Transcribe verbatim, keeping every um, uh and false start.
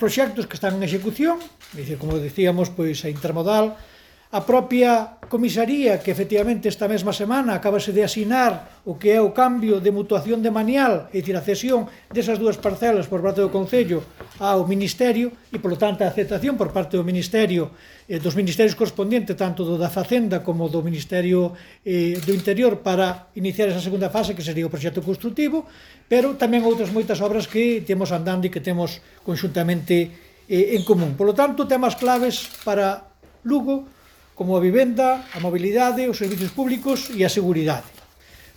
proxectos que están en execución, como dicíamos, pois a intermodal, a propia comisaría que efectivamente esta mesma semana acabase de asinar o que é o cambio de mutuación de manial, é dicir, a cesión desas dúas parcelas por parte do Concello ao Ministerio e, polo tanto, a aceptación por parte do Ministerio, eh, dos ministerios correspondientes, tanto do da Facenda como do Ministerio eh, do Interior, para iniciar esa segunda fase que sería o proxecto constructivo, pero tamén outras moitas obras que temos andando e que temos conxuntamente eh, en común. Polo tanto, temas claves para Lugo como a vivenda, a mobilidade, os servicios públicos e a seguridade.